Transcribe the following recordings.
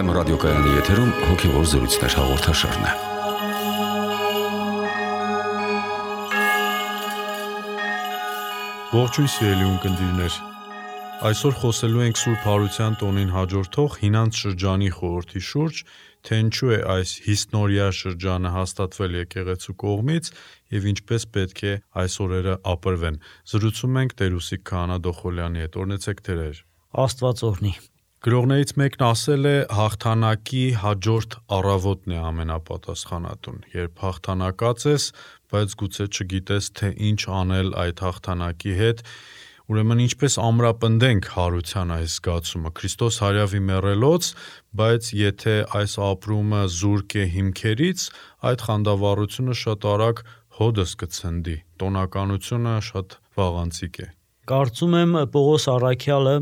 FM ռադիոկայանի եթերում հոգևոր զրույցներ հաղորդաշարն է։ Ողջույն սիրելի ունկնդիրներ։ Այսօր խոսելու ենք Սուրբ Հարության տոնին հաջորդող հինանց շրջանի խորհրդի շուրջ, թե ինչու է այս հիսնորյա շրջանը հաստատվել եկեղեցու կողմից եւ ինչպես պետք է այս օրերը ապրվեն։ Զրուցում ենք Տեր-Ուսիկ Քահանա Դոխոլյանի հետ։ Օրհնեցեք Տեր։ Աստված օրհնի։ Գրողներից մեկն ասել է, հաղթանակի հաջորդ առավոտն է ամենապատասխանատուն։ Երբ հաղթանակած ես, բայց գուցե չգիտես, թե ինչ անել այդ հաղթանակի հետ, ուրեմն ինչպես ամրապնդենք հարության այս զգացումը։ Քրիստոս հարյավի մեռելոց, բայց եթե այս ապրումը զուրկ է հիմքերից, այդ խանդավառությունը շատ արագ հոդս կցնդի, տոնականությունը շատ վաղանցիկ է։ Կարծում եմ Պողոս առաքյալը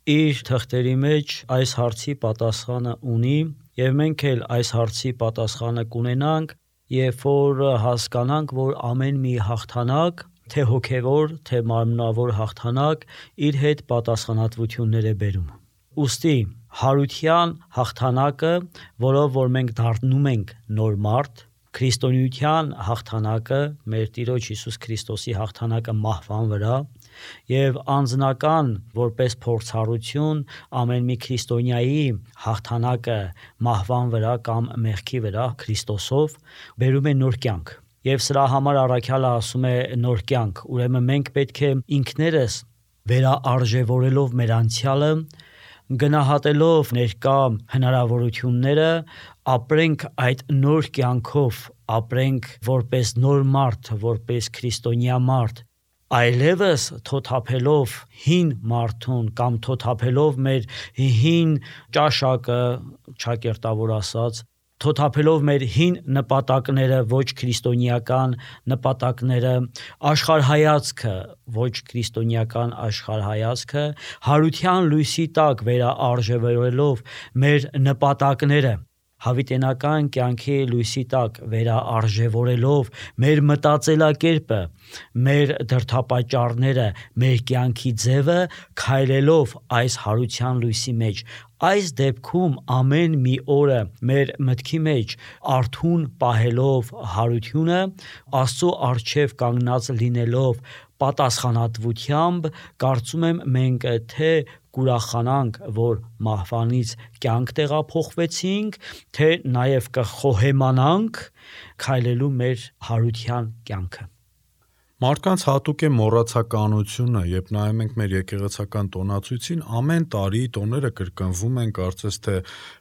իր թղթերի մեջ այս հարցի պատասխանը ունի, եւ մենք էլ այս հարցի պատասխանը կունենանք, երբ որ հասկանանք, որ ամեն մի հաղթանակ, թե հոգևոր, թե մարմնավոր հաղթանակ, իր հետ պատասխանատվություններ է բերում։ Ուստի հարության հաղթանակը, որով որ մենք դառնում ենք նոր մարդ, քրիստոնեության հաղթանակը, մեր Տիրոջ Հիսուս Քրիստոսի հաղթանակը մահվան վրա, եւ անձնական որպես փորձառություն ամեն մի քրիստոնյայի հաղթանակը մահվան վրա կամ մեղքի վրա Քրիստոսով բերում է նոր կյանք։ Եվ սրա համար առաքյալը ասում է նոր կյանք, ուրեմն մենք պետք է ինքներս վերաարժևորելով մեր անցյալը, գնահատելով ներկա հնարավորությունները, ապրենք այդ նոր կյանքով, ապրենք որպես նոր մարդ, որպես քրիստոնյա մարդ, այլևս թոթափելով հին մարդուն կամ թոթափելով մեր հին ճաշակը, ճակերտավոր ասած, թոթափելով մեր հին նպատակները, ոչ քրիստոնեական նպատակները, աշխարհայացքը, ոչ քրիստոնեական աշխարհայացքը, հարության լույսի տակ վերաարժևորելով մեր նպատակները, հավիտենական կյանքի լույսի տակ վերաարժևորելով մեր մտածելակերպը, մեր դրդապատճառները, մեր կյանքի ձևը, քայլելով այս հարության լույսի մեջ, այս դեպքում ամեն մի օրը մեր մտքի մեջ արթուն պահելով հարությունը, Աստծո առջև կանգնած լինելով պատասխանատվությամբ, կարծում եմ մենք թե կուրախանանք, որ մահվանից կյանք տեղափոխվեցինք, թե նաև կխոհեմանանք քայլելու մեր հարության կյանքը։ Մարդկանց հատուկ է մոռացականությունը, երբ նայում ենք մեր եկեղեցական տոնացույցին, ամեն տարի տոները կրկնվում են, կարծես թե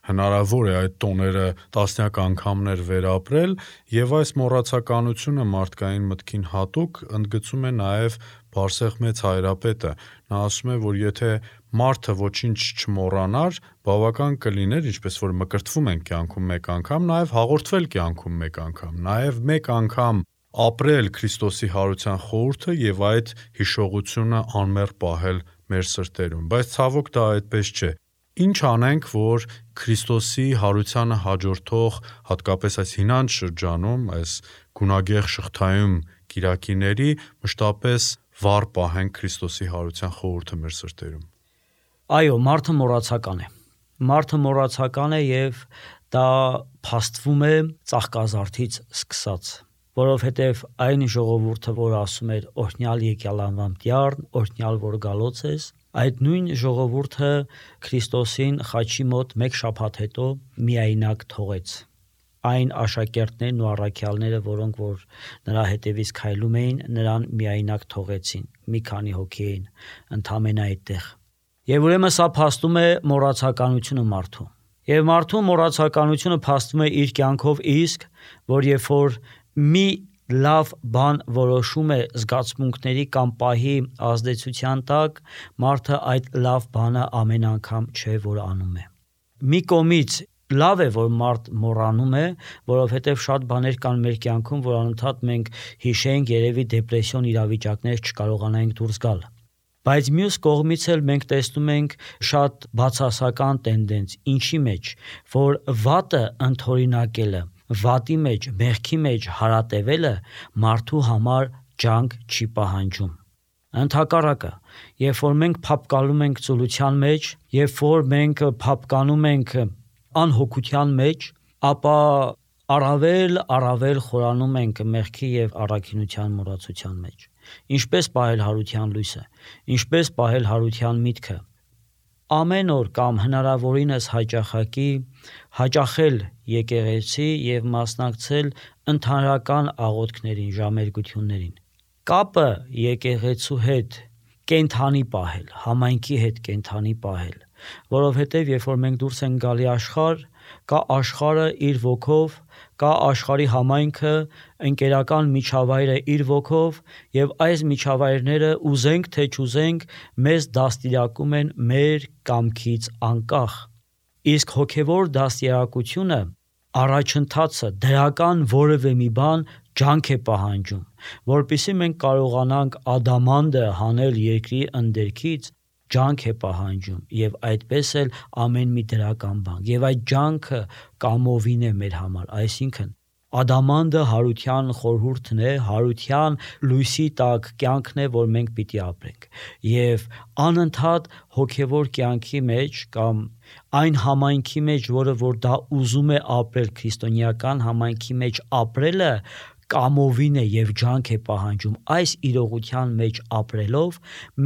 հնարավոր է այդ տոները տասնյակ անգամներ վերապրել, եւ այս մոռացականությունը մարդկային մտքին հատուկ ընդգծում է նաեւ Բարսեղ մեծ հայրապետը։ Նա ասում է, որ եթե մարդը ոչինչ չմոռանար, բավական կլիներ, ինչպես որ մկրտվում են կյանքում մեկ անգամ, նաեւ հաղորդվել կյանքում մեկ անգամ, նաեւ մեկ անգամ ապրել Քրիստոսի հարության խորհուրդը եւ այդ հիշողությունը անմեռ պահել մեր սրտերում, բայց ցավոք դա այդպես չէ։ Ինչ անենք, որ Քրիստոսի հարությանը հաջորդող, հատկապես այս հինանց շրջանում, այս գունագեղ շղթայում կիրակիների մշտապես վառ պահենք Քրիստոսի հարության խորհուրդը մեր սրտերում։ Այո, մարդը մոռացական է։ Մարդը մոռացական է եւ դա փաստվում է ծաղկազարդից սկսած, որովհետև այն ժողովուրդը, որ ասում էր օրհնյալ եկյալ անվամբ դյարն, օրհնյալ որ գալոց ես, այդ նույն ժողովուրդը Քրիստոսին խաչի մոտ մեկ շաբաթ հետո միայնակ թողեց։ Այն աշակերտներն ու առաքյալները, որոնք որ նրա հետևից քայլում էին, նրան միայնակ թողեցին, մի քանի հոգի էին ընդամենը այդտեղ։ Եվ ուրեմն սա փաստում է մոռացականությունը մարդու։ Եվ մարդու մոռացականությունը փաստում է իր կյանքով իսկ, որ երբ որ մի լավ բան որոշում է զգացմունքների կամ պահի ազդեցության տակ, մարդը այդ լավ բանը ամեն անգամ չէ որ անում է։ Մի կողմից լավ է որ մարդ մոռանում է, որովհետև շատ բաներ կան մեր կյանքում, որ անընդհատ մենք հիշենք, երևի դեպրեսիոն իրավիճակներ չկարողանանք դուրս գալ։ Բայց մյուս կողմից էլ մենք տեսնում ենք շատ բացասական տենդենց, ինչի մեջ, որ վատը ընդօրինակելը, վատի մեջ, մեղքի մեջ հարատևելը մարդու համար ջանք չի պահանջում։ Ընդհակառակը, երբ որ մենք փափկալում ենք ծուլության մեջ, երբ որ մենք փափկանում ենք անհոգության մեջ, ապա առավել խորանում ենք մեղքի եւ առաքինության մոռացության մեջ։ Ինչպես պահել հարության լույսը, ինչպես պահել հարության միտքը։ Ամեն օր կամ հնարավորինս հաճախել եկեղեցի եւ մասնակցել ընդհանրական աղոթքներին, ժամերգություններին։ Կապը եկեղեցու հետ կենթանի պահել, համայնքի հետ կենթանի պահել, որովհետև երբ որ մենք դուրս ենք գալի աշխարհ, կա աշխարհը իր ոգով, կա աշխարհի համայնքը, ընկերական միջավայրը իր ոգով, եւ այս միջավայրները ուզենք թե չուզենք մեզ դաստիարակում են մեր կամքից անկախ։ Իսկ հոգևոր դաստիարակությունը առաջընթացը դրական որևէ մի բան ջանք է պահանջում, որpիսի մենք կարողանանք ադամանդը հանել երկրի ընդերքից, ջանք է պահանջում եւ այդպես էլ ամեն մի դրական բան եւ այդ ջանքը կամովին է մեր համար, այսինքն ադամանդը հարության խորհուրդն է, հարության լույսի տակ կյանքն է, որ մենք պիտի ապրենք եւ անընդհատ հոգեվոր կյանքի մեջ կամ այն համայնքի մեջ, որը որ դա ուզում է ապրել, քրիստոնեական համայնքի մեջ ապրելը կամովին է եւ ջանք է պահանջում, այս իրողության մեջ ապրելով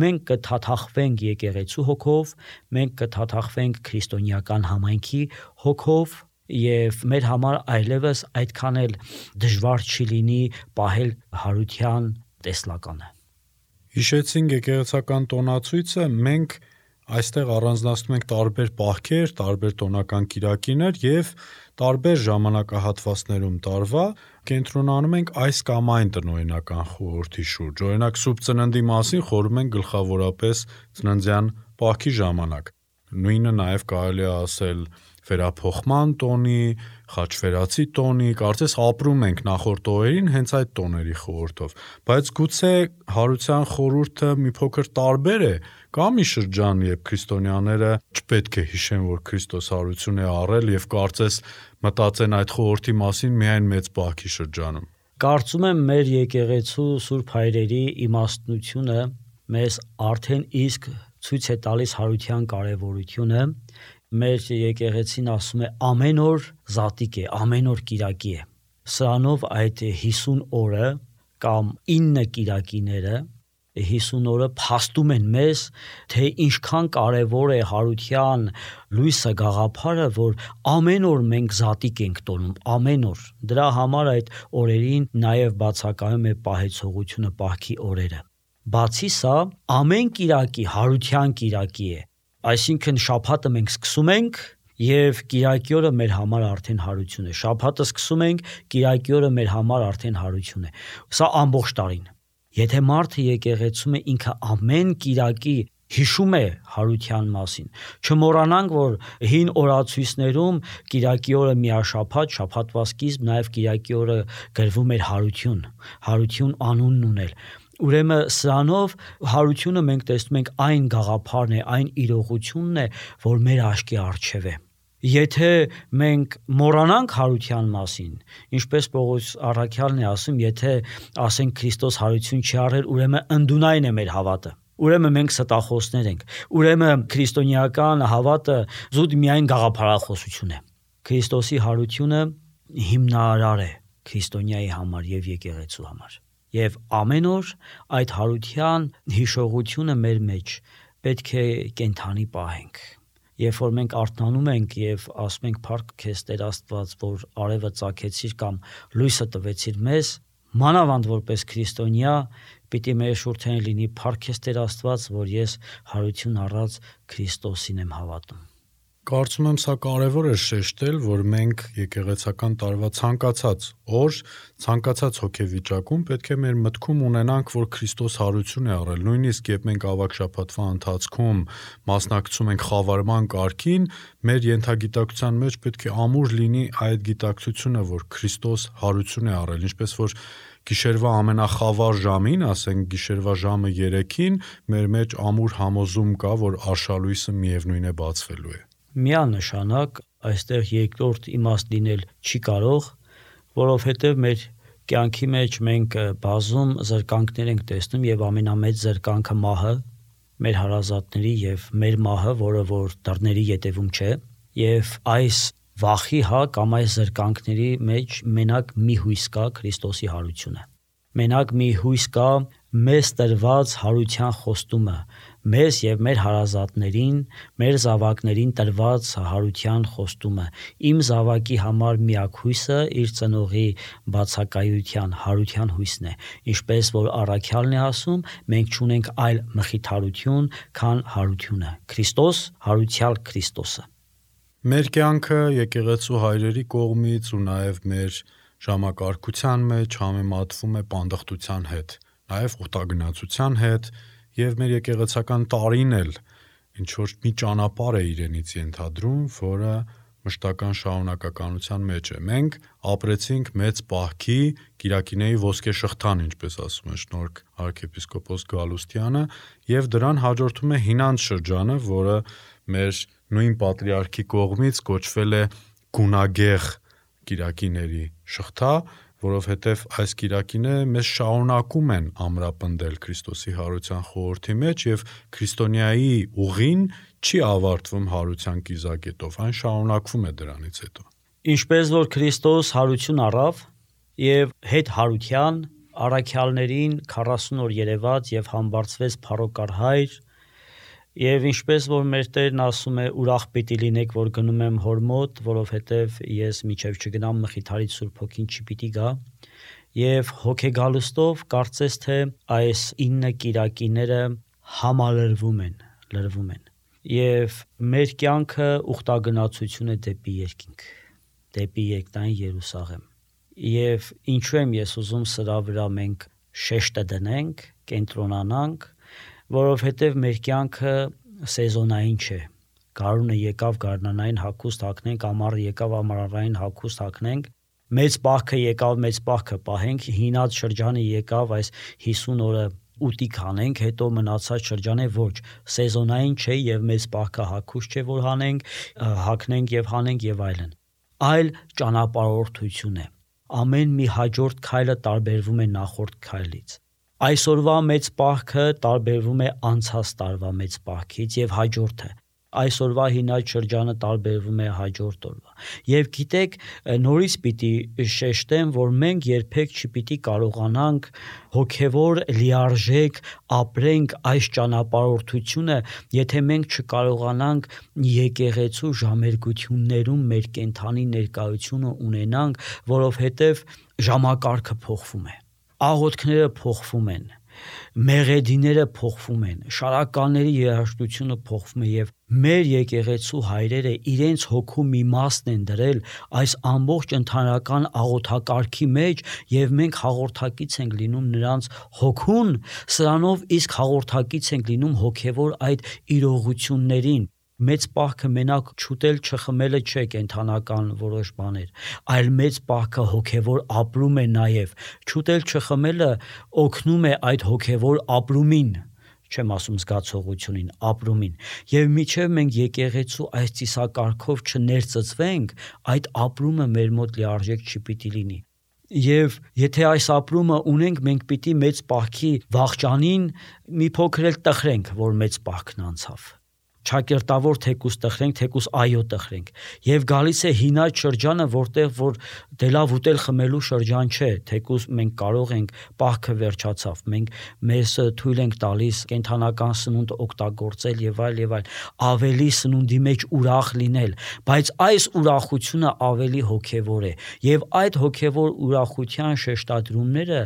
մենք կթաթախվենք եկեղեցու հոգով, մենք կթաթախվենք քրիստոնեական համայնքի հոգով եւ մեր համար այլևս այդքան էլ դժվար չի լինի պահել հարության տեսլականը։ Հիշեցինք եկեղեցական տոնացույցը, մենք այստեղ առանձնացնում ենք տարբեր պահքեր, տարբեր տոնական կիրակիներ եւ տարբեր ժամանակահատվածներում տարվա կենտրոնանում ենք այս կամ այն տնօրինական խորհրդի շուրջ։ Օրինակ Սուրբ Ծննդի մասին խորհում ենք գլխավորապես ծննդյան պահքի ժամանակ։ Նույնը նաեւ կարելի է ասել վերափոխման տոնի, խաչվերացի տոնի, կարծես ապրում ենք նախորդ օրերին հենց այդ տոների խորհրդով, բայց գուցե հարության խորհուրդը մի փոքր տարբեր է, կա մի շրջան, երբ քրիստոնյաները չպետք է հիշեն, որ Քրիստոս հարություն է առել եւ կարծես մտածեն այդ խորհրդի մասին միայն մեծ պահքի շրջանում։ Կարծում եմ մեր եկեղեցու Սուրբ Հայրերի իմաստնությունը մեզ արդեն իսկ ցույց է տալիս հարության կարևորությունը։ Մեր եկեղեցին ասում է ամեն օր զատիկ է, ամեն օր կիրակի է։ Սրանով այդ 50 օրը կամ 9 կիրակիները 50 օրը փաստում են մեզ, թե ինչքան կարևոր է հարության լույսը գաղափարը, որ ամեն օր մենք զատիկ ենք տոնում, ամեն օր։ Դրա համար այդ օրերին նաև բացակայում է պահեցողությունը, պահքի օրերը։ Բացի սա, ամեն կիրակի հարության կիրակի է։ Այսինքն շաբաթը մենք սկսում ենք եւ կիրակի օրը մեր համար արդեն հարություն է։ Շաբաթը սկսում ենք, կիրակի օրը մեր համար արդեն հարություն է։ Սա ամբողջ տարին։ Եթե մարդը եկեղեցում է ինքը ամեն կիրակի հիշում է հարության մասին, չմոռանանք, որ հին օրացույցներում կիրակի օրը միաշաբաթ, շաբաթվա սկիզբ, նաև կիրակի օրը գրվում էր հարություն անունն ունել։ Ուրեմն սրանով հարությունը մենք տեսնում ենք այն գաղափարն է, այն իրողությունն է, որ մեր աչքի առջև է։ Եթե մենք մոռանանք հարության մասին, ինչպես Պողոս առաքյալն է ասում, եթե ասենք Քրիստոս հարություն չի առել, ուրեմն ընդունայն է մեր հավատը։ Ուրեմն մենք ստախոսներ ենք։ Ուրեմն քրիստոնեական հավատը զուտ միայն գաղափարախոսություն է։ Քրիստոսի հարությունը հիմնարար է քրիստոնյայի համար եւ եկեղեցու համար։ Եվ ամեն օր այդ հարության հիշողությունը մեր մեջ պետք է կենթանի պահենք։ Երբ որ մենք արթնանում ենք եւ ասում ենք փառք քեզ Տեր Աստված, որ արևը ծագեցիր կամ լույսը տվեցիր մեզ, մանավանդ որպես քրիստոնյա, պիտի մեր շուրթերին լինի փառք քեզ Տեր Աստված, որ ես հարություն առած Քրիստոսին եմ հավատում։ Կարծում եմ սա կարևոր է շեշտել, որ մենք եկեղեցական տարվա ցանկացած օր, ցանկացած հոգեվիճակում պետք է մեր մտքում ունենանք, որ Քրիստոս հարություն է առել։ Նույնիսկ երբ մենք ավակ շաբաթվա ընթացքում մասնակցում ենք խավարման կարգին, մեր ենթագիտակցության մեջ պետք է ամուր լինի այդ գիտակցությունը, որ Քրիստոս հարություն է առել, ինչպես որ գիշերվա ամենախավար ժամին, ասենք գիշերվա ժամը 3-ին, մեր մեջ ամուր համոզում կա, որ արշալույսը միևնույն է բացվելու է։ Միանշանակ այստեղ երկրորդ իմաստ լինել չի կարող, որովհետև մեր կյանքի մեջ մենք բազում զրկանքներ ենք տեսնում եւ ամենամեծ զրկանքը մահը, մեր հարազատների եւ մեր մահը, որը որ դռների ետևում չէ, եւ այս վախի կամ այս զրկանքների մեջ մենակ մի հույս կա Քրիստոսի հարությունը։ Մենակ մի հույս կա մեզ տրված հարության խոստումը, մեզ եւ մեր հարազատներին, մեր զավակներին տրված հարության խոստումը։ Իմ զավակի համար միակ հույսը իր ծնողի բացակայության հարության հույսն է, ինչպես որ առաքյալն է ասում, մենք չունենք այլ մխիթարություն, քան հարությունը։ Քրիստոս, հարությալ Քրիստոսը։ Մեր կյանքը եկեղեցու հայրերի կողմից ու նաև մեր ժամակարգության մեջ համեմատվում է պանդխտության հետ, նաև ուտագնացության հետ, եւ մեր եկեղեցական տարին էլ ինչ որ մի ճանապարհ է իրենից ենթադրում, որը մշտական շարունակականության մեջ է։ Մենք ապրեցինք մեծ պահքի Կիրակիների ոսկե շղթան, ինչպես ասում է շնորհք arczepiskopos Գալուստյանը, եւ դրան հաջորդում է հինանց շրջանը, որը մեր նույն պատրիարքի կողմից կոչվել է գունագեղ Կիրակիների շղթա, որովհետև այս կիրակիները մեզ շարունակում են ամրապնդել Քրիստոսի հարության խորհրդի մեջ եւ քրիստոնյայի ուղին չի ավարտվում հարության կիզակետով, այն շարունակվում է դրանից հետո։ Ինչպես որ Քրիստոս հարություն առավ եւ հետ հարության առաքյալներին 40 օր երևաց եւ համբարձվեց փառոկար հայր, եւ ինչպես որ մեր Տերն ասում է, ուրախ պիտի լինեք, որ գնում եմ հոր մոտ, որովհետեւ ես միջև չգնամ մխիթարից Սուրբ Հոգին չի պիտի գա, եւ հոգեգալուստով կարծես թե այս 9 կիրակիները համալրվում են, եւ մեր կյանքը ուխտագնացություն է դեպի երկինք, դեպի երկնային Երուսաղեմ։ Եվ ինչու եմ ես ուզում սրա վրա մենք շեշտը դնենք, կենտրոնանանք, որովհետև մեր կյանքը սեզոնային չէ։ Գարունը եկավ գարնանային հագուստ հագնենք, ամառը եկավ ամառային հագուստ հագնենք, մեծ պահքը եկավ մեծ պահքը պահենք, հինած շրջանը եկավ այս 50 օրը ուտիկ հանենք, հետո մնացած շրջանը ոչ, սեզոնային չէ եւ մեծ պահքը հագուստ չէ, որ հագնենք եւ հանենք եւ այլն։ Այլ ճանապարհորդություն է։ Ամեն մի հաջորդ քայլը տարբերվում է նախորդ քայլից։ Այսօրվա մեծ պահքը տարբերվում է անցած տարվա մեծ պահքից եւ հաջորդը։ Այսօրվա հինած շրջանը տարբերվում է հաջորդ օրվա։ Եվ գիտեք, նորից պիտի շեշտեմ, որ մենք երբեք չպիտի կարողանանք հոգևոր լիարժեք ապրենք այս ճանապարհորդությունը, եթե մենք չկարողանանք եկեղեցու ժամերգություններում մեր կենթանի ներկայությունը ունենանք, որովհետև ժամակարգը փոխվում է, աղոթքները փոխվում են, մեղեդիները փոխվում են, շարականների երաժշտությունը փոխվում է եւ մեր եկեղեցու հայրերը իրենց հոգու մի մասն են դրել այս ամբողջ ընդհանրական աղոթակարգի մեջ եւ մենք հաղորդակից ենք լինում նրանց հոգուն, սրանով իսկ հաղորդակից ենք լինում հոգեվոր այդ իրողություններին։ Մեծ պահքը մենակ չուտել չխմելը չէ կենթանական որոշ բաներ, այլ մեծ պահքը հոգևոր ապրում է նաև։ Չուտել չխմելը օգնում է այդ հոգևոր ապրումին, չեմ ասում զգացողությունին, ապրումին։ Եվ միջև մենք եկեղեցու այս ծիսակարգով չներծծվենք, այդ ապրումը մեր մոտ լիարժեք չպիտի լինի։ Եվ եթե այս ապրումը ունենք, մենք պիտի մեծ պահքի վախճանին մի փոքր էլ տխրենք, որ մեծ պահքն անցավ։ Չակերտավոր թեկուս տխրենք, թեկուս այո տխրենք։ Եվ գալիս է հինած շրջանը, որտեղ որ դե լավ ուտել խմելու շրջան չէ, թեկուս մենք կարող ենք պահքը վերջացավ, մենք մեզ թույլ ենք տալիս կենթանական սնունդ օգտագործել եւ այլ, ավելի սնունդի մեջ ուրախ լինել, բայց այս ուրախությունը ավելի հոգեվոր է, եւ այդ հոգեվոր ուրախության շեշտադրումները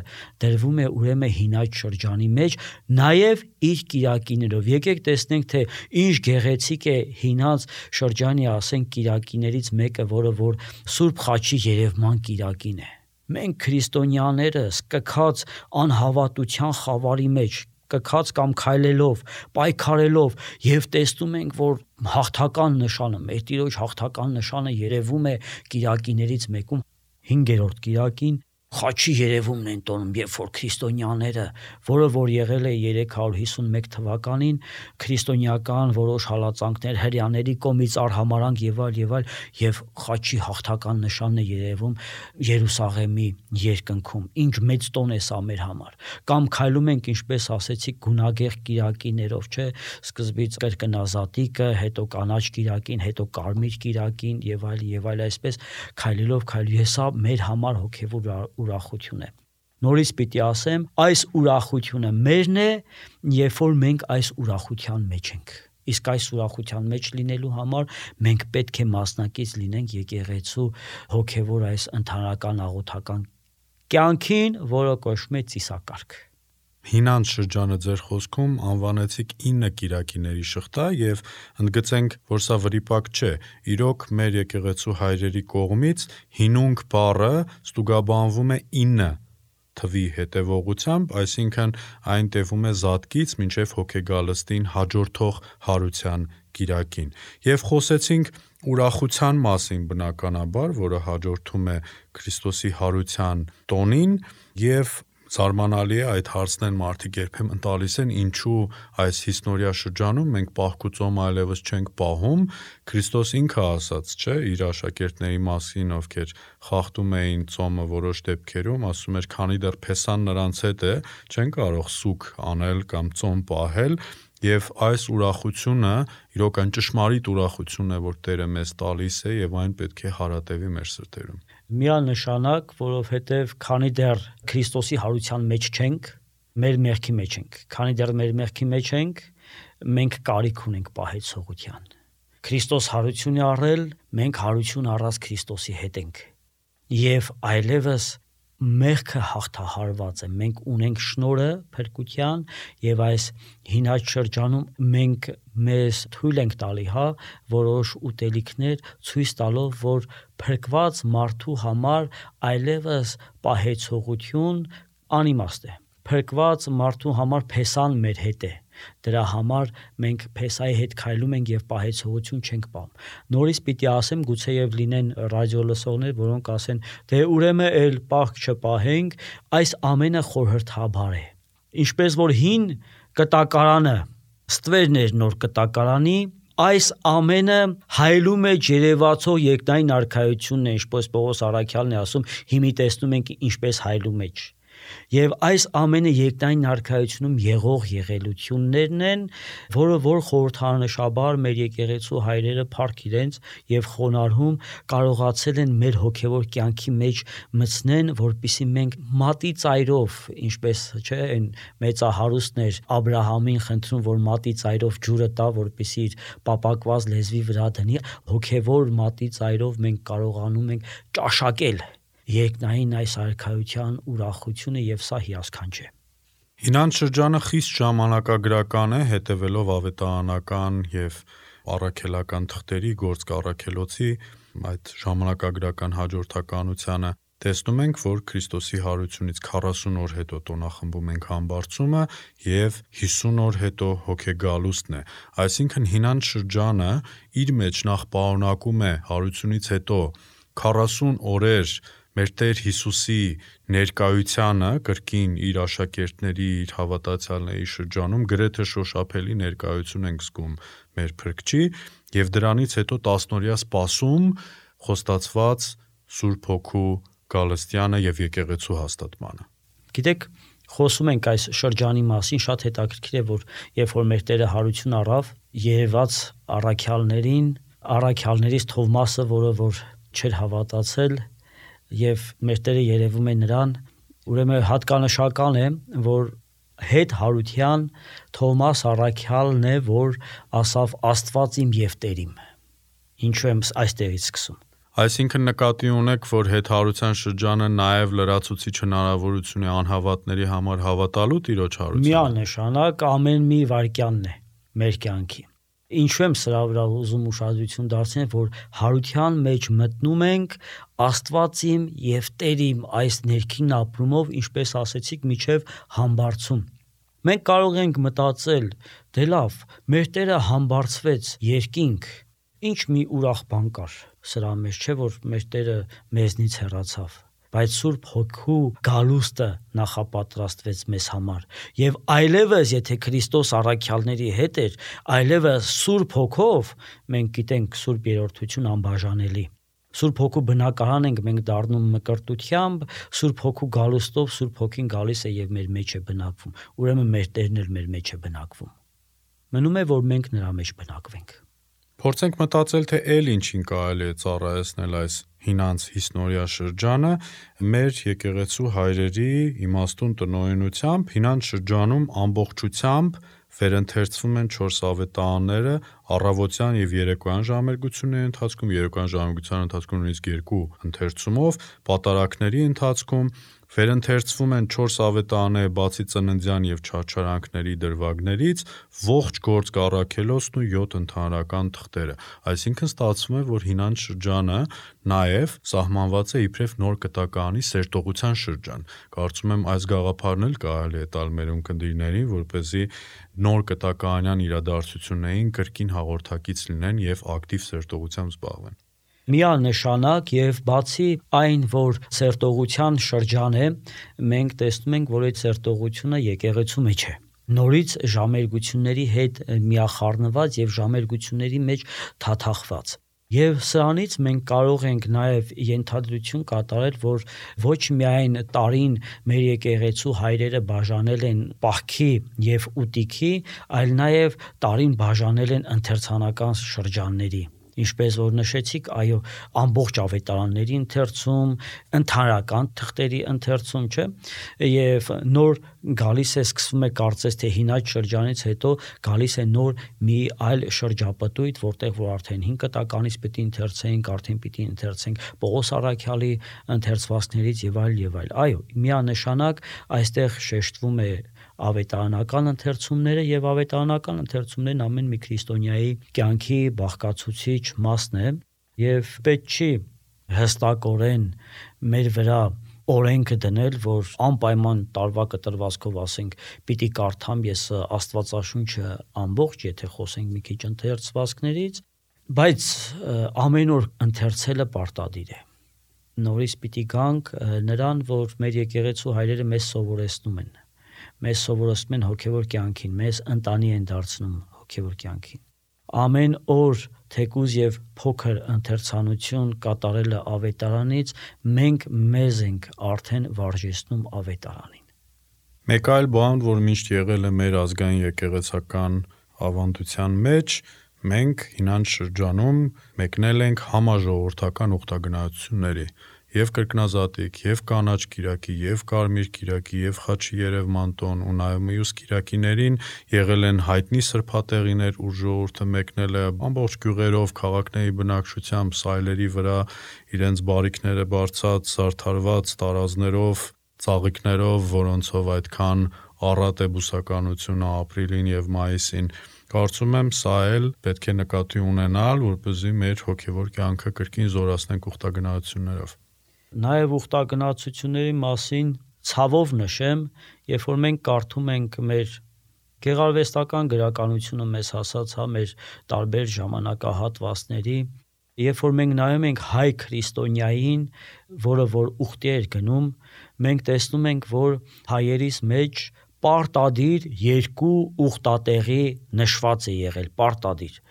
դրվում է ուրեմն հինած շրջանի մեջ, նաեւ իր կիրակիներով։ Եկեք տեսնենք, թե ինչ գեղեցիկ է հինած շրջանի, ասենք, կիրակիներից մեկը, որը որ Սուրբ Խաչի երևման կիրակին է։ Մենք քրիստոնյաներս կքած անհավատության խավարի մեջ, կքած կամ քայլելով, պայքարելով եւ տեսնում ենք, որ հաղթական նշանը, մեր Տիրոջ հաղթական նշանը երևում է կիրակիներից մեկում, 5-րդ կիրակին, խաչի երևումն են տոնում, երբ որ քրիստոնյաները, որը որ եղել է 351 թվականին, քրիստոնեական որոշ հալածանքներ հрьяաների կողմից արհամարանք եւ այլ, եւ խաչի հաղթական նշանն է երևում Երուսաղեմի երկնքում։ Ինչ մեծ տոն է սա մեր համար։ Կամ քայլում ենք, ինչպես ասեցիք, գունագեղ կիրակիներով, չէ՞, սկզբից կրկնազատիկը, հետո կանաչ կիրակին, հետո կարմիր կիրակին եւ այլ, այսպես քայլելով սա մեր համար հոգեվոր ուրախություն է։ Նորից պիտի ասեմ, այս ուրախությունը մերն է, երբ որ մենք այս ուրախության մեջ ենք։ Իսկ այս ուրախության մեջ լինելու համար մենք պետք է մասնակից լինենք եկեղեցու հոգեվոր այս ընդհանրական աղոթական կյանքին, որը կոչվում է ծիսակարգ։ Հինանց շրջանը ձեր խոսքում անվանեցիք 9 կիրակիների շղթա եւ ընդգծենք, որ սա վրիպակ չէ։ Իրոք մեր եկեղեցու հայրերի կողմից հինունք բառը ստուգաբանվում է 9 թվի հետևողությամբ, այսինքն այն տևում է զատկից մինչև հոգեգալստին հաջորդող հարության կիրակին։ Եվ խոսեցինք ուրախության մասին բնականաբար, որը հաջորդում է Քրիստոսի հարության տոնին, եւ զարմանալի է այդ հարցն են մարդիկ երբեմն տալիս են, ինչու այս հիսնորյա շրջանում մենք պահքուծոմ այլևս չենք պահում։ Քրիստոս ինքը ասաց, չէ, իր աշակերտների մասին, ովքեր խախտում էին ծոմը որոշ դեպքերում, ասում էր, քանի դեռ փեսան նրանց հետ է, չեն կարող սուգ անել կամ ծոմ պահել։ Եվ այս ուրախությունը իրոք այն ճշմարիտ ուրախությունն է, որ Տերը մեզ տալիս է, եւ այն պետք է հարատևի մեր սրտերում։ Միանշանակ, որովհետև քանի դեռ Քրիստոսի հարության մեջ չենք, մեր մեղքի մեջ ենք։ Քանի դեռ մեր մեղքի մեջ ենք, մենք կարիք ունենք պահեցողության։ Քրիստոս հարություն է առել, մենք հարություն առած Քրիստոսի հետ ենք։ Եվ այլևս մեղքը հաղթահարված է, մենք ունենք շնորհը փրկության եւ այս հինաց շրջանում մենք մեզ թույլ ենք տալի, որոշ ուտելիքներ ցույց տալով, որ փրկված մարդու համար այլևս պահեցողություն անիմաստ է։ Փրկված մարդու համար փեսան մեր հետ է։ Դրա համար մենք փեսայի հետ քայլում ենք եւ պահեցողություն չենք պահում։ Նորից պիտի ասեմ, գուցեև լինեն ռադիո լսողներ, որոնք ասեն, դե ուրեմն էլ պահք չպահենք, այս ամենը խորհրդաբար է։ Ինչպես որ հին կտակարանը ստվերն էր նոր կտակարանի, այս ամենը հայլում է ջերևացող երկնային արքայությունն է, ինչպես Պողոս Առաքյալն է ասում, հիմի տեսնում ենք ինչպես հայլում է։ Եվ այս ամենը երկնային արքայությունում եղող եղելություններն են, որը որ խորհրդանշաբար մեր եկեղեցու հայրերը փառք իրենց եւ խոնարհում կարողացել են մեր հոգեվոր կյանքի մեջ մտցնեն, որպիսի մենք մատի ծայրով, ինչպես չէ, այն մեծահարուստներ Աբրահամին խնդրում, որ մատի ծայրով ջուրը տա, որպիսի իր պապակված լեզվի վրա դնի, հոգեվոր մատի ծայրով մենք կարողանում ենք ճաշակել երկնային այս արքայության ուրախությունը եւ սա հիասքանչ է։ Հինանց շրջանը խիստ ժամանակագրական է, հետևելով ավետարանական եւ առաքելական թղթերի գործ կառաքելոցի այդ ժամանակագրական հաջորդականությանը։ Տեսնում ենք, որ Քրիստոսի հարությունից 40 օր հետո տոնախմբում ենք համբարձումը եւ 50 օր հետո հոգեգալուստն է։ Այսինքն հինանց շրջանը իր մեջ նախ պարունակում է հարությունից հետո 40 օրեր մեր Տեր Հիսուսի ներկայությանը կրկին իր աշակերտների, իր հավատացյալների շրջանում գրեթե շոշափելի ներկայություն ենք զգում մեր Փրկչի եւ դրանից հետո 10 օրյա սպասում խոստացված Սուրբ Հոգու գալստյանը եւ եկեղեցու հաստատմանը։ Գիտեք, խոսում ենք այս շրջանի մասին, շատ հետաքրքիր է, որ երբ որ մեր Տերը հարություն առավ, երևաց առաքյալներից Թովմասը, որը որ չէր հավատացել, եւ մեր Տերը երևում է նրան, ուրեմն հատկանշական է, որ հետ հարության Թովմաս առաքյալն է, որ ասավ Աստված իմ եւ Տեր իմ։ Ինչու եմ այստեղից սկսում։ Այսինքն նկատի ունեք, որ հետ հարության շրջանը նաեւ լրացուցիչ հնարավորություն է անհավատների համար հավատալու Տիրոջ հարությանը։ Միանշանակ ամեն մի վայրկյանն է մեր կյանքի։ Ինչու եմ սրա վրա ուզում ուշադրություն դարձնել, որ հարության մեջ մտնում ենք Աստված իմ եւ Տեր իմ այս ներքին ապրումով, ինչպես ասեցիք, միջև համբարձում։ Մենք կարող ենք մտածել, դե լավ, մեր Տերը համբարձվեց երկինք, ինչ մի ուրախ բան կար սրա մեջ, չէ՞ որ մեր Տերը մեզնից հեռացավ։ բայց Սուրբ Հոգու գալուստը նախապատրաստվեց մեզ համար, եւ այլևս եթե Քրիստոս առաքյալների հետ էր, այլևս Սուրբ Հոգով մենք գիտենք Սուրբ Երրորդություն անբաժանելի։ Սուրբ Հոգու բնակարան ենք մենք դառնում մկրտությամբ, Սուրբ Հոգու գալուստով Սուրբ Հոգին գալիս է եւ մեր մեջ է բնակվում, ուրեմն մեր Տերն էլ մեր մեջ է բնակվում։ Մնում է, որ մենք նրա մեջ բնակվենք։ Փորձենք մտածել, թե այլ ինչին կարելի է ծառայեցնել այս հինանց հիսնորյա շրջանը մեր եկեղեցու հայրերի իմաստուն տնօրինությամբ հինանց շրջանում ամբողջությամբ վերընթերցվում են 4 ավետարանները առավոտյան եւ երեկոյան ժամերգությունների ընթացքում, երեկոյան ժամերգության ընթացքում նույնիսկ 2 ընթերցումով, պատարակների ընթացքում վերընթերցվում են 4 ավետարանները բացի ծննդյան եւ չարչարանքների դրվագներից, ողջ գործ կառաքելոցն ու 7 ընդհանրական թղթերը։ Այսինքն ստացվում է, որ հինանց շրջանը նաեւ սահմանված է իբրև նոր կտակարանի սերտողության շրջան։ Կարծում եմ այս գաղափարն էլ կարելի է տալ մեր ունկնդիրներին, որպեսզի նոր կտակարանյան իրադարձություններին կրկին հաղորդակից լինեն եւ ակտիվ սերտողությամբ զբաղվեն։ Միանշանակ եւ բացի այն, որ սերտողության շրջան է, մենք տեսնում ենք, որ այդ սերտողությունը եկեղեցու մեջ է։ Նորից ժամերգությունների հետ միախառնված եւ ժամերգությունների մեջ թաթախված։ Եվ սրանից մենք կարող ենք նաև ենթադրություն կատարել, որ ոչ միայն տարին մեր եկեղեցու հայրերը բաժանել են պահքի եւ ուտիքի, այլ նաև տարին բաժանել են ընթերցանական շրջանների։ Ինչպես որ նշեցիք, այո, ամբողջ ավետարանների ընթերցում, ընդհանրական թղթերի ընթերցում, չէ՞, եւ նոր գալիս է, սկսվում է կարծես թե հինաց շրջանից հետո գալիս է նոր մի այլ շրջապտույտ, որտեղ որ արդեն 5 կտականից պիտի ընթերցենք, արդեն պիտի ընթերցենք Պողոս առաքյալի ընթերցվածքներից եւ այլ։ Այո, միանշանակ այստեղ շեշտվում է ավետարանական ընթերցումները եւ ավետարանական ընթերցումներն ամեն մի քրիստոնյայի կյանքի բաղկացուցիչ մասն է եւ պետք չի հստակորեն մեր վրա օրենքը դնել, որ անպայման տարվա կտրվածքով ասենք պիտի կարդամ ես Աստվածաշունչը ամբողջ, եթե խոսենք մի քիչ ընթերցվածքներից, բայց ամեն օր ընթերցելը պարտադիր է։ Նորից պիտի գանք նրան, որ մեր եկեղեցու հայրերը մեզ սովորեցնում են։ Մեզ սովորեցնում են հոգևոր կյանքին, մեզ ընտանի են դարձնում հոգևոր կյանքին։ Ամեն օր թեկուզ եւ փոքր ընթերցանություն կատարելը ավետարանից մենք մեզ ենք արդեն վարժեցնում ավետարանին։ Մեկ այլ բան, որ միշտ եղել է մեր ազգային եկեղեցական ավանդության մեջ, մենք հինանց շրջանում մեկնել ենք համաժողովրդական ուխտագնացությունների եւ կրկնազատիկ, եւ կանաչ կիրակի, եւ կարմիր կիրակի, եւ խաչի երևմանտոն ու նաեւ մյուս կիրակիներին եղել են հայտնի սրբատեղիներ, ուր ժողովուրդը մեկնել է ամբողջ գյուղերով, քաղաքների բնակչությամբ, սայլերի վրա իրենց բարիքները բարձած, զարդարված տարազներով, ծաղիկներով, որոնցով այդքան առատ է բուսականությունը ապրիլին եւ մայիսին։ Կարծում եմ սա էլ պետք է նկատի ունենալ, որպեսզի մեր հոգևոր կյանքը կրկին զորացնենք ուխտագնացություններով։ Նաև ուխտագնացությունների մասին ցավով նշեմ, երբ որ մենք կարդում ենք մեր գեղարվեստական գրականությունը մեզ հասած, մեր տարբեր ժամանակահատվածների, երբ որ մենք նայում ենք հայ քրիստոնյային, որը որ ուխտի էր գնում, մենք տեսնում ենք, որ հայերիս մեջ պարտադիր 2 ուխտատեղի նշված է եղել, պարտադիր,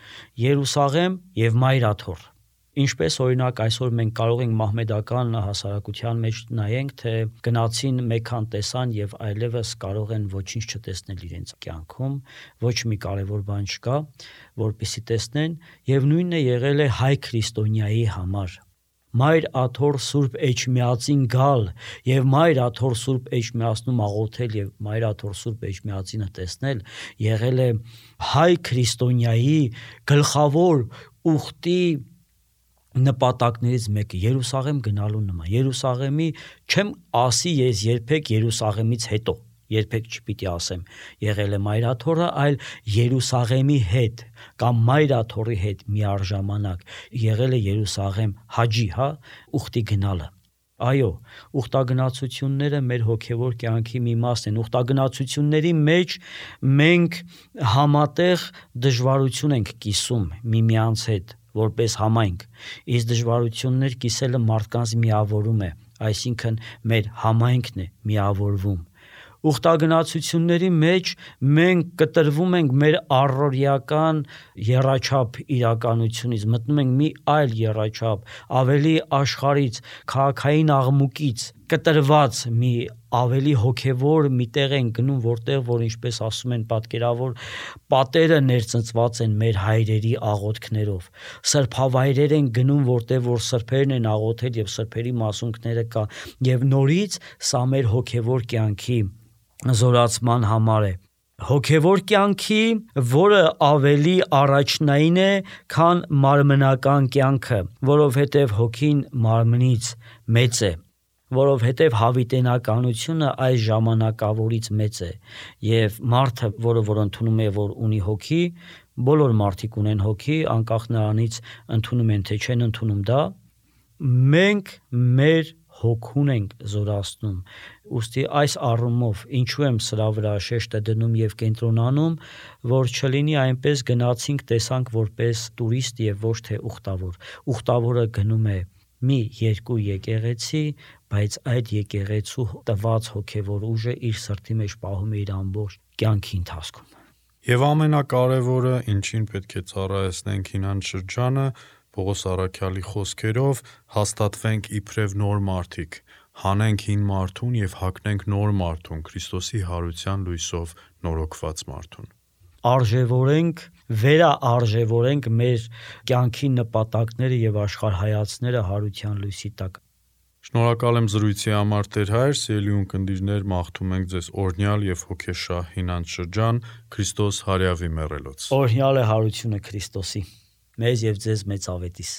Երուսաղեմ եւ Մայրաթոր։ Ինչպես օրինակ այսօր մենք կարող ենք մահմեդական հասարակության մեջ նայենք, թե գնացին մեկան տեսան եւ այլևս կարող են ոչինչ չտեսնել իրենց կյանքում, ոչ մի կարևոր բան չկա, որպեսզի տեսնեն, եւ նույնն է եղել է հայ քրիստոնյայի համար։ Մայր Աթոր Սուրբ Էջմիածին գալ եւ Մայր Աթոր Սուրբ Էջմիածնում աղոթել եւ Մայր Աթոր Սուրբ Էջմիածինը տեսնել եղել է հայ քրիստոնյայի գլխավոր ուխտի նպատակներից մեկը Երուսաղեմ գնալու նման։ Երուսաղեմի չեմ ասի ես երբեք Երուսաղեմից հետո, երբեք չպիտի ասեմ եղել է Մայրաթորը, այլ Երուսաղեմի հետ կամ Մայրաթորի հետ միառժամանակ եղել է Երուսաղեմ հաջի, ուխտի գնալը։ Այո, ուխտագնացությունները մեր հոգևոր կյանքի մի մասն են։ Ուխտագնացությունների մեջ մենք համատեղ դժվարություն ենք կիսում միմյանց հետ որպես համայնք, իսկ դժվարություններ կիսելը մարդկանց միավորում է, այսինքն մեր համայնքն է միավորվում։ Ուխտագնացությունների մեջ մենք կտրվում ենք մեր առօրյական եռաչափ իրականությունից, մտնում ենք մի այլ եռաչափ, ավելի աշխարհից, քաղաքային աղմուկից կտրված մի ավելի հոգևոր մի տեղ են գնում, որտեղ որ ինչպես ասում են պատկերավոր պատերը ներծծված են մեր հայրերի աղոթքներով, սրբավայրեր են գնում, որտեղ որ սրբերն են աղոթել եւ սրբերի մասունքները կա, եւ նորից սա մեր հոգևոր կյանքի զորացման համար է, հոգևոր կյանքի, որը ավելի առաջնային է, քան մարմնական կյանքը, որովհետև հոգին մարմնից մեծ է, որովհետև հավիտենականությունը այս ժամանակավորից մեծ է, եւ մարդը, որ ընդունում է, որ ունի հոգի, բոլոր մարդիկ ունեն հոգի, անկախ նրանից ընդունում են թե չեն ընդունում դա, մենք մեր հոգուն ենք զորացնում, ուստի այս առումով ինչու եմ սրա վրա շեշտը դնում եւ կենտրոնանում, որ չլինի այնպես գնացինք տեսանք որպես տուրիստ եւ ոչ թե ուխտավոր, ուխտավորը գնում է մի երկու եկեղեցի, բայց այդ եկեղեցու տված հոգևոր ուժը իր սրտի մեջ պահում է իր ամբողջ կյանքի ընթացքում։ Եվ ամենակարևորը, ինչին պետք է ծառայեցնենք հինան շրջանը, Պողոս առաքյալի խոսքերով հաստատվենք իբրև նոր մարդիկ, հանենք հին մարդուն եւ հագնենք նոր մարդուն, Քրիստոսի հարության լույսով նորոգված մարդուն։ Արժևորենք, վերաարժևորենք մեր կյանքի նպատակները եւ աշխարհայացները հարության լույսի տակ։ Շնորհակալ եմ զրույցի համար Տեր Հայր, սիրելի ունկնդիրներ, մաղթում ենք ձեզ օրհնյալ եւ հոգեշահ հինանց շրջան, Քրիստոս հարյավի մեռելոց։ Օրհնյալ է հարությունը Քրիստոսի, մեզ եւ ձեզ մեծ ավետիս։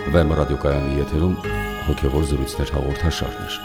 Վեմ ռադիոկայանի եթերում հոգևոր զրույցներ հաղորդաշարներ։